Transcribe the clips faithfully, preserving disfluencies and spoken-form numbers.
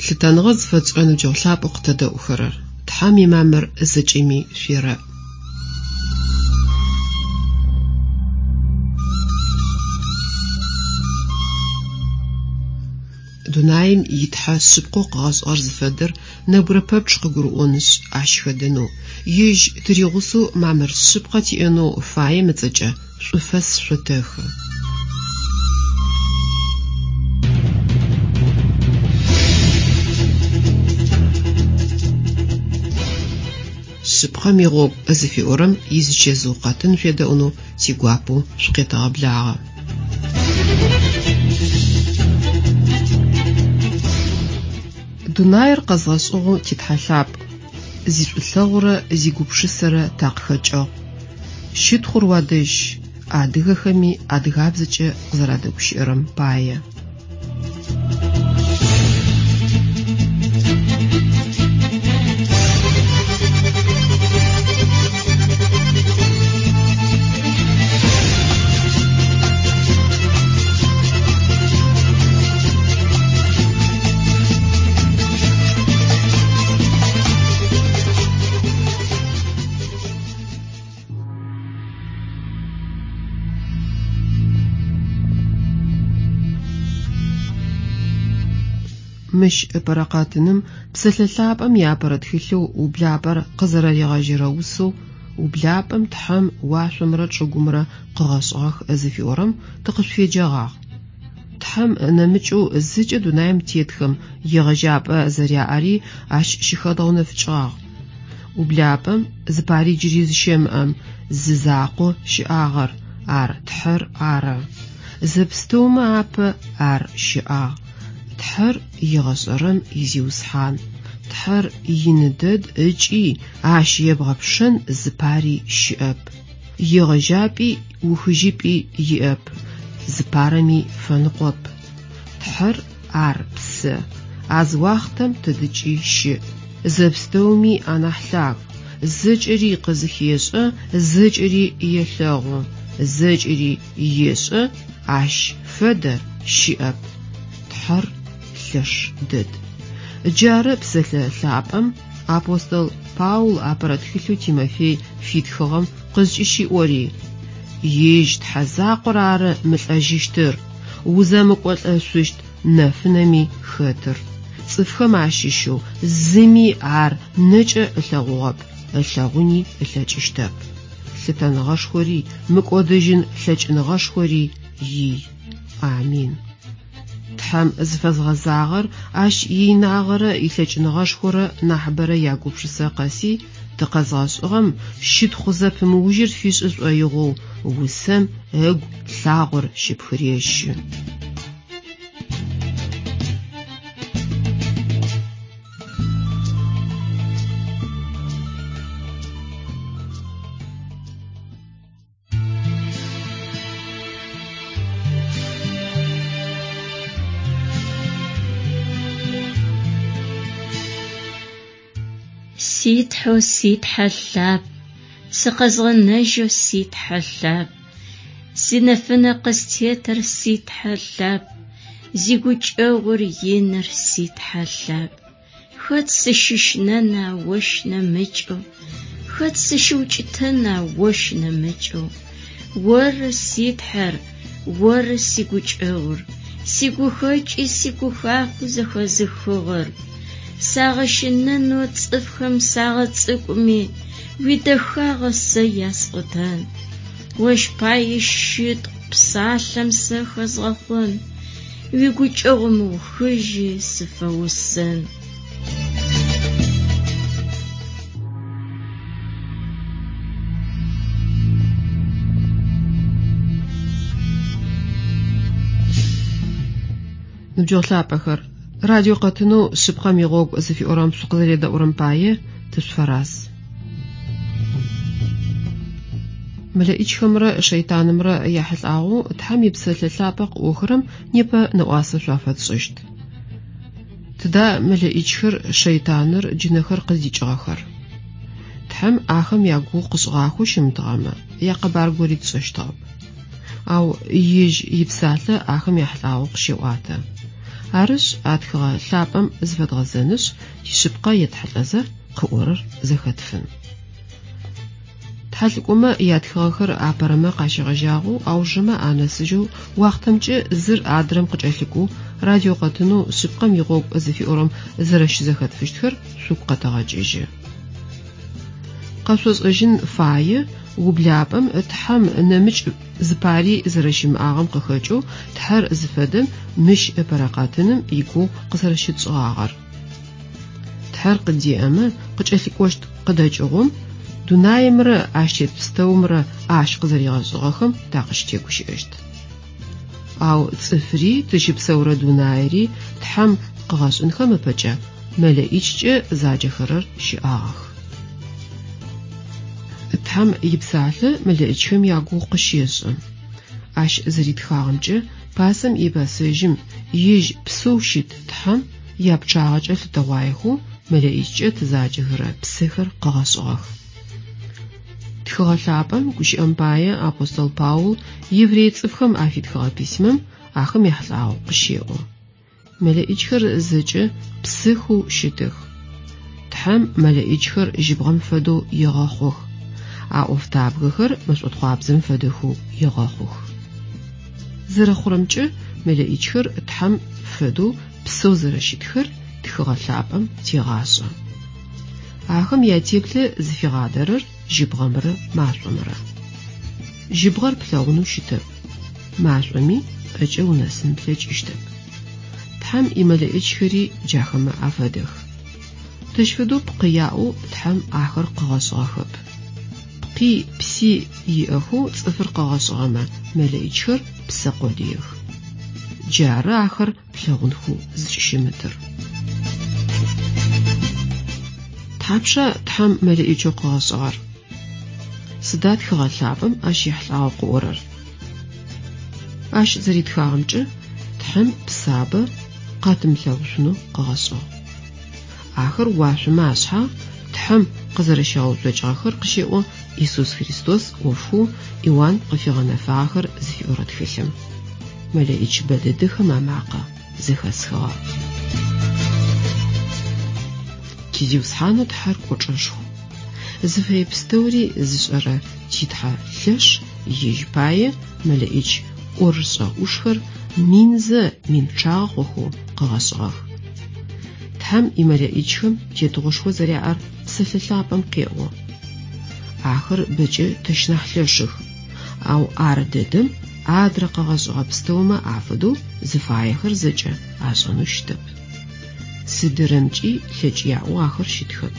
Лъытэныгъэ зыфэтшӏырэ ныбджэгъу лъапӏэу къытэдэӏухэрэр, Тхьэм имамыр зэкӏэми шъуерэӏ. Дунаим итхьэ шъыпкъэу къыгъэшӏыгъэр зыфэдэр нэбгырэ пэпчъ къыгурыӏонышъ, ащ хэдэнэу, ежь тыригъусэу мамыр шъыпкъэ тиӏэнэу фаем ыцӏэкӏэ шӏуфэс шъотэхы. Шъыпкъэм игъогу зыфиӏорэм изычэзыу къэтын шъуедэӏунэу тигуапэу шъукъетэгъэблагъэ. Дунаир къэзгъэшӏыгъэу титхьэ лъапӏ, зишӏулъэгъурэ зигупшысэрэ такъыхэкӏыгъ. Щытхъур уадэжь, адыгэхэми адыгабзэкӏэ къызэрадэгущыӏэрэм пае. Мыщ ыпэрэ къэтыным псэлъэ лъапӏэм иапэрэ тхылъэу ублапӏэр къызэрэригъэжьэрэ усэу «Ублапӏэм Тхьэм уашъомрэ чӏыгумрэ къыгъэшӏыгъэх» зыфиӏорэм тыкъышъуфеджэгъагъ. Тхьэм нэмыкӏэу зыкӏэ дунаим тетхэм егъэжьапӏэ зэряӏэри ащ щыхэдгъэунэфыкӏыгъагъ. Ублапӏэм зыпари джыри зыщэмыӏэм зы закъо щыӏагъэр, ар Тхьэр ары. Зэпстэумэ апэ ар щыӏагъ. Тхьэр егъэшӏэрэм изиусхьан. Тхьэр ины дэд ыкӏи ащ ебгъэпшэн зыпари щыӏэп. Егъэжьапӏи ухыжьыпӏи иӏэп, зыпарэми фэныкъоп. Тхьэр ар псэ, а зы уахътэм тыдыкӏи щыӏ. Зэпстэуми анахь лъаг, зэкӏэри къызыхешӏэ, зэкӏэри елъэгъу, зэкӏэри ешӏэ, ащ фэдэ щыӏэп. Тхьэр лъэш дэд. Джары псэлъэ лъапӏэм апостол Паул апэрэ тхылъэу Тимофей фитхыгъэм къызкӏыщиӏори: Ежь Тхьэ закъор ары мылӏэжьыщтыр, узэмыкӏолӏэшъущт нэфынэми хэтыр. Цӏыфхэм ащыщэу зыми ар нэкӏэ ылъэгъугъэп, ылъэгъуни ылъэкӏыщтэп. Лъытэныгъэшхори, мыкӏодыжьын лъэкӏыныгъэшхори ий. Амин. Тхьэм зыфэзгъэзагъэр ащ иинагъэрэ илъэкӏыныгъэшхорэ нахьыбэрэ ягупшысэ къэси тыкъэзгъэшӏыгъэм щытхъу зэпымыужьыр фишӏы шӏоигъоу усэм ыгу лъагъор щыпхырещы. Си Тхьэу си Тхьэ лъапӏ, сыкъэзгъэнэжьэу си Тхьэ лъапӏ, синэфынэ къыстетыр си Тхьэ лъапӏ, зигукӏэгъур иныр си Тхьэ лъапӏ. Хэт сыщыщынэна ощ нэмыкӏэу, хэт сыщыукӏытэна ощ нэмыкӏэу. Оры си Тхьэр, оры сигукӏэгъур, сигухэкӏи сигухахъуи зэхэзыхыгъэр. Сагъэщынэнэу цӏыфхэм сагъэцӏыкӏуми, уидэхагъэ сэ ясӏотэн. Ощ пае щытхъу псалъэм сэ хэзгъэхъон, уигукӏэгъу мыухыжьи сыфэусэн. Ныбджэгъу лъапӏэхэр, радио къэтынэу шъыпкъэм игъогу зыфиӏорэм шъукъызэредэӏурэм пае тышъуфэраз. Мэлэӏичхэмрэ шэйтанымрэ яхьылӏагъэу Тхьэм ипсэлъэ лъапӏэ къыӏохэрэм непэ нэӏуасэ шъуафэтшӏыщт. Тыда мэлэӏичхэр, шэйтаныр, джынэхэр къыздикӏыгъэхэр? Тхьэм ахэм ягугъу къышӏыгъахэу щымытыгъэмэ, якъэбар гори тшӏэщтыгъэп. Ау ежь ипсалъэ ахэм яхьылӏагъэу къыщеӏуатэ. Арышъ, а тхыгъэ лъапӏэм зыфэдгъэзэнышъ, тишъыпкъэ етхьылӏэзэ къыӏорэр зэхэтфын. Тхьэлӏыкӏомэ ятхыгъэхэр апэрэмэ къащегъэжьагъэу аужырэмэ анэсыжьэу уахътэмкӏэ зыр адрэм къыкӏэлъыкӏоу радио къэтынэу шъыпкъэм игъогу зыфиӏорэм зэрэщызэхэтфыщтхэр шъугу къэтэгъэкӏыжьы. Къэшъошӏэжьын фае ублапӏэм Тхьэм нэмыкӏ зыпари зэрэщымыӏагъэм къыхэкӏэу Тхьэр зыфэдэм мыщ ыпэрэ къэтыным игугъу къызэрэщытшӏыгъагъэр. Тхьэр къыдеӏэмэ къыкӏэлъыкӏощт къыдэкӏыгъом дунаимрэ ащ тет пстэумрэ ащ къызэригъэшӏыгъэхэм такъыщытегущыӏэщт. Ау цӏыфри тыщыпсэурэ дунаири Тхьэм къыгъэшӏынхэм ыпэкӏэ мэлэӏичкӏэ заджэхэрэр щыӏагъэх. Тхьэм ипсалъэ мэлэӏичхэм ягугъу къыщешӏы. Ащ зэритхагъэмкӏэ пасэм ипэсэжьым ежь псэу щыт Тхьэм япчъагъэкӏэ лъытэгъуаехэу мэлэӏичкӏэ тызаджэхэрэ псэхэр къыгъэшӏыгъэх. Тхыгъэ лъапӏэм гущыӏэм пае апостол Паул еврей цӏыфхэм афитхыгъэ письмэм ахэм яхьылӏагъэу къыщеӏо. Мэлэӏичхэр зэкӏэ псыхэу щытых. Тхьэм мэлэӏичхэр жьыбгъэм фэдэу егъэхъух. А ӏофтабгэхэр мэшӏотхъуабзэм фэдэхэу егъэхъух. Зэрэхъурэмкӏэ мэлэӏичхэр Тхьэм фэдэу псэу зэрэщытхэр тхыгъэ лъапӏэм тегъашӏэ. Ахэм ятеплъэ зыфигъадэрэр жьыбгъэмрэ машӏомрэ. Жьыбгъэр плъэгъунэу щытэп. Машӏоми ӏэкӏэ унэсын плъэкӏыщтэп. Тхьэм имэлэӏичхэри джахэмэ афэдэх. Тэщ фэдэу пкъы яӏэу Тхьэм ахэр къыгъэшӏыгъэхэп. Пкъи пси иӏэхэу цӏыфыр къыгъэшӏыгъэмэ мэлэӏичхэр псэ къодыех. Джары ахэр плъэгъунхэу зыкӏыщымытыр. Тхьапша Тхьэм мэлэӏичэу къыгъэшӏыгъэр? Сыда тхыгъэ лъапӏэм ащ ехьылӏагъэу къыӏорэр? Ащ зэритхагъэмкӏэ Тхьэм псабэ къатымылъэгъушъунэу къыгъэшӏыгъ. Ахэр уашъомэ ашъхьагъ Тхьэм къызэрэщигъэуцокӏыгъэхэр къыщеӏо Иисус Христос ӏофхэу Иоанн къыфигъэнэфагъэхэр зыфиӏорэ тхылъым. Мэлэӏич бэдэдэхэм амакъэ зэхэсхыгъэ. Тизиусхьанэу Тхьэр кӏочӏэшху. Зыфэе пстэури зышӏэрэ титхьэ лъэш ежь пае мэлэӏич ӏорышӏэ ӏушхэр минзэ мин пчъагъэ хъухэу къыгъэшӏыгъэх. Тхьэм имэлэӏичхэм тетыгъошхо зэряӏэр псэлъэ лъапӏэм къеӏо. Ахэр бэкӏэ тэщ нахь лъэшых, ау ар дэдэм адрэ къыгъэшӏыгъэ пстэумэ афэдэу зыфаехэр зэкӏэ ашӏэнэу щытэп. Сыдырэмкӏи лъэкӏ яӏэу ахэр щытхэп.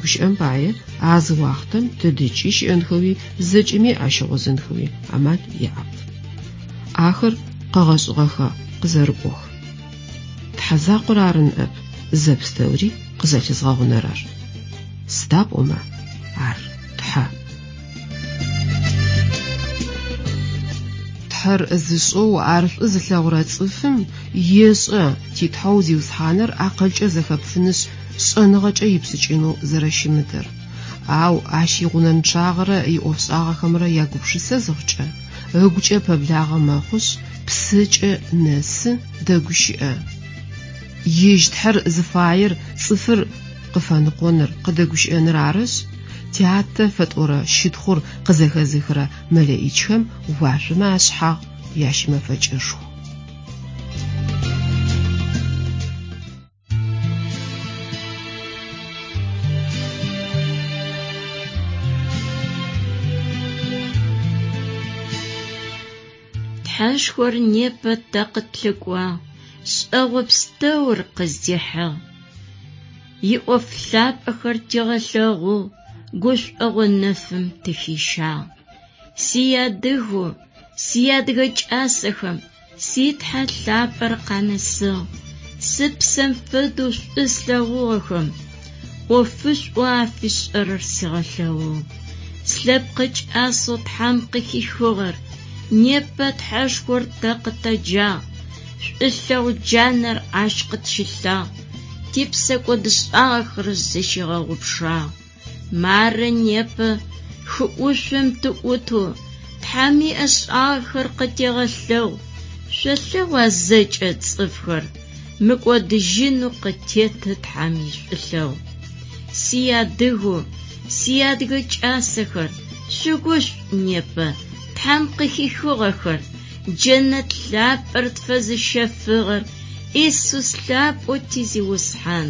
Гущыӏэм пае а зы уахътэм тыдэкӏи щыӏэнхэуи зэкӏэми ащыгъозэнхэуи амал яӏэп. Ахэр къэгъэшӏыгъэхэ къызэрыкӏох. Тхьэ закъор ары ныӏэп зэпстэури къызэлъызгъэгъунэрэр. Сыда пӏомэ ар Тхьэ. Тхьэр зышӏэу ар шӏу зылъэгъурэ цӏыфым ешӏэ титхьэу Зиусхьаныр акъылкӏэ зэхэпфынышъ шӏэныгъэкӏэ ипшӏыкӏынэу зэрэщымытыр. Ау ащ игъунэнчъагъэрэ иӏофшӏагъэхэмрэ ягупшысэ зыхъукӏэ, ыгукӏэ пэблагъэ мэхъушъ, псэкӏэ нэсы, дэгущыӏэ. Ежь Тхьэр зыфаер цӏыфыр къыфэныкъоныр, къыдэгущыӏэныр арышъ, тятэ фэтӏорэ щытхъур къызэхэзыхырэ мэлэӏичхэм уашъомэ ашъхьагъ ящымэфэкӏышху. Тхьэшхор непэ тэ къытлъыкӏуагъ, шӏэгъо пстэур къыздихьыгъ. Иӏоф лъапӏэхэр тигъэлъэгъугъ, гушӏогъо нэфым тыхищагъ. Сиадыгэу, сиадыгэ кӏасэхэм, си Тхьэ лъапӏэр къанэсыгъ. Сыпсэм фэдэу шӏу слъэгъугъэхэм, ӏофышӏоу афишӏэрэр сигъэлъэгъугъ. Слъэпкъы кӏасэу Тхьэм къыхихыгъэр, непэ Тхьэшхор тэ къытэджагъ. Шӏулъэгъу джанэр ащ къытщилъагъ, типсэ кӏодышӏагъэхэр зыщигъэгъупшагъ. Мары непэ хы ӏушъом тыӏутэу, Тхьэм иӏэшӏагъэхэр къытегъэлъэгъу, Шъолъэгъуа зэкӏэ цӏыфхэр мыкӏодыжьынэу къытеты Тхьэм ишӏулъэгъу. Сиадыгэу, сиадыгэ кӏасэхэр, шъугушӏу непэ, Тхьэм къыхихыгъэхэр, джэнэт лъапӏэр тфэзыщэфыгъэр Исус лъапӏэу ти Зиусхьан.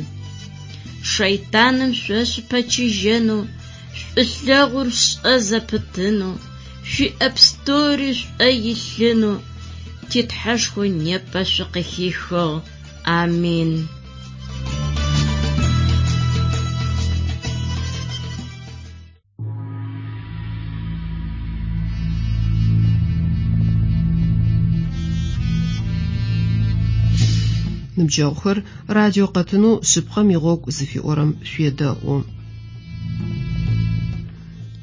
Шэйтаным шъо шъупэчыжьэнэу, шӏулъэгъур шӏэ зэпытынэу, шъуиӏэ пстэури шӏо илъынэу ти Тхьэшхо непэ шъукъыхихыгъ. Амин. Ныбджэгъухэр радио къэтынэу шъыпкъэм игъогу зыфиӏорэм шъуедэӏу.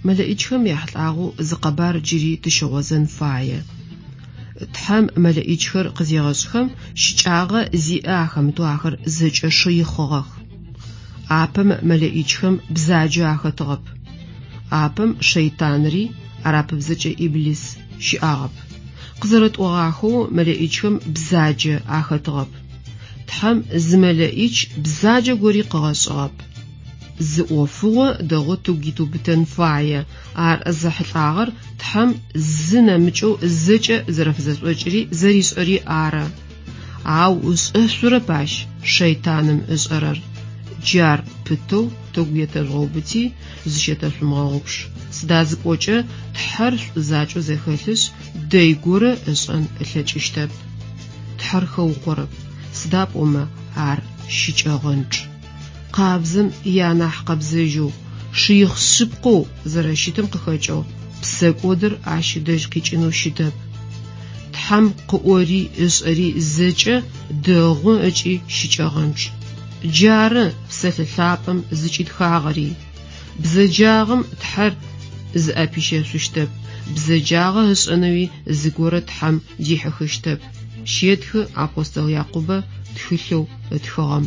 Мэлэӏичхэм яхьылӏагъэу зы къэбар джыри тыщыгъозэн фае. Тхьэм мэлэӏичхэр къызегъэшӏхэм щыкӏагъэ зиӏэ ахэмытэу ахэр зэкӏэ шыихъыгъэх. Апэм мэлэӏичхэм бзаджэ ахэтыгъэп. Апэм шэйтанри, арапыбзэкӏэ Иблис, щыӏагъэп. Къызэрэтӏогъахэу мэлэӏичхэм бзаджэ ахэтыгъэп. Тхьэм зы мэлэӏич бзаджэ гори къыгъэшӏыгъэп. Зы ӏофыгъо дэгъоу тыгу итыубытэн фае. Ар зэхьылӏагъэр Тхьэм зы нэмыкӏэу зэкӏэ зэрэфызэшӏокӏыри зэришӏэри ары. Ау ышӏэшъурэп ащ шэйтаным ышӏэрэр. Джар пытэу тыгу етэжъугъэубыти, зыщетэшъумыгъэгъупш. Сыда зыпӏокӏэ Тхьэр шӏу закӏэу зэхэлъышъ, дэй горэ ышӏэн ылъэкӏыщтэп. Тхьэр хэукъорэп, сыда пӏомэ ар щыкӏэгъэнчъ. Къабзэм ианахь къэбзэжьэу, шыихъ шъыпкъэу зэрэщытым къыхэкӏэу псэкӏодыр ащ ыдэжь къикӏынэу щытэп. Тхьэм къыӏори ышӏэри зэкӏэ дэгъу ыкӏи щыкӏэгъэнчъ. Джары псэлъэ лъапӏэм зыкӏитхагъэри. Бзэджагъэм Тхьэр зыӏэпищэшъущтэп, бзэджагъэ ышӏэнэуи зыгорэ Тхьэм дихьыхыщтэп, щетхы апостол Якъубэ тхылъэу ытхыгъэм.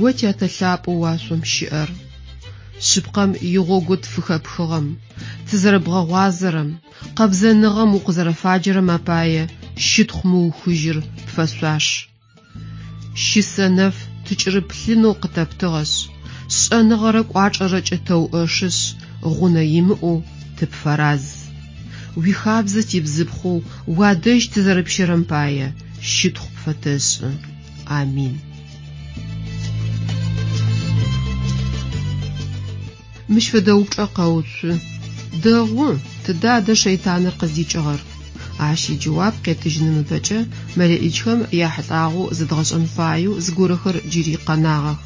О тятэ лъапӏэу уашъом щыӏэр, шъыпкъэм игъогу тфыхэпхыгъэм, тызэрэбгъэгъуазэрэм, къэбзэныгъэм укъызэрэфаджэрэм апае щытхъу мыухыжьыр пфэшъуаш. Щысэ нэф тыкӏырыплъынэу къытэптыгъэшъ, шӏэныгъэрэ кӏуачӏэрэкӏэ тэуӏэшышъ, гъунэ имыӏэу тыпфэраз. Уихабзэ тибзыпхъэу уадэжь тызэрэпщэрэм пае щытхъу пфэтэшӏы. Амин. Мыщ фэдэ упчӏэ къэуцу. Дэгъу, тыдэ адэ шэйтаныр къыздикӏыгъэр? Ащ иджэуап къетыжьыным ыпэкӏэ мэлэӏичхэм яхьылӏагъэу зэдгъэшӏэн фаеу зыгорэхэр джыри къэнагъэх.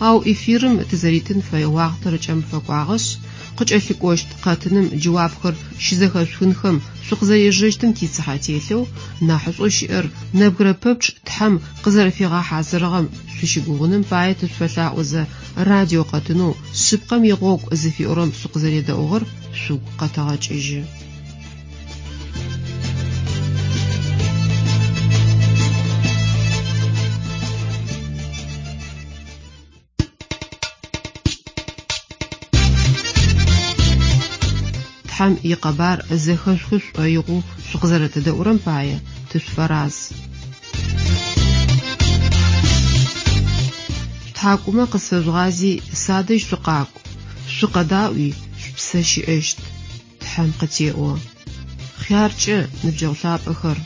Ау эфирым тызэритын фэе уахътэр ыкӏэм фэкӏуагъэшъ, къыкӏэлъыкӏощт къэтыным джэуапхэр щызэхэшъухынхэм шъукъызэрежэщтым тицыхьэ телъэу, нахьышӏоу щыӏэр нэбгырэ пэпчъ Тхьэм къызэрэфигъэхьазырыгъэм шъущыгугъыным пае тышъуфэлъаӏозэ радио къэтынэу шъыпкъэм игъогу зыфиӏорэм шъукъызэредэӏугъэр шъугу къэтэгъэкӏыжьы. Тхьэм икъэбар зэхэшъухы шӏоигъоу шъукъызэрэтэдэӏурэм пае тышъуфэраз. Тхьакӏумэ къысфэжъугъази садэжь шъукъакӏу, шъукъэдаӏуи шъупсэ щыӏэщт. Тхьэм къытеӏо. Хъяркӏэ, ныбджэгъу лъапӏэхэр,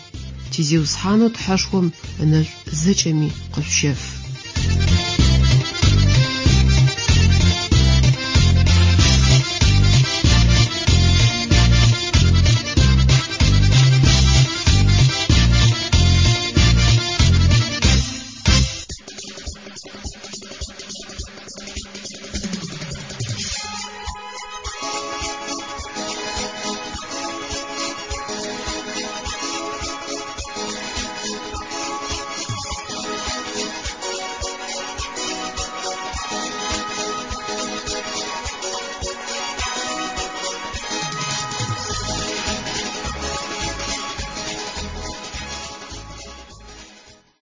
ти Зиусхьанэу Тхьэшхом ынэшӏу зэкӏэми къышъущэф.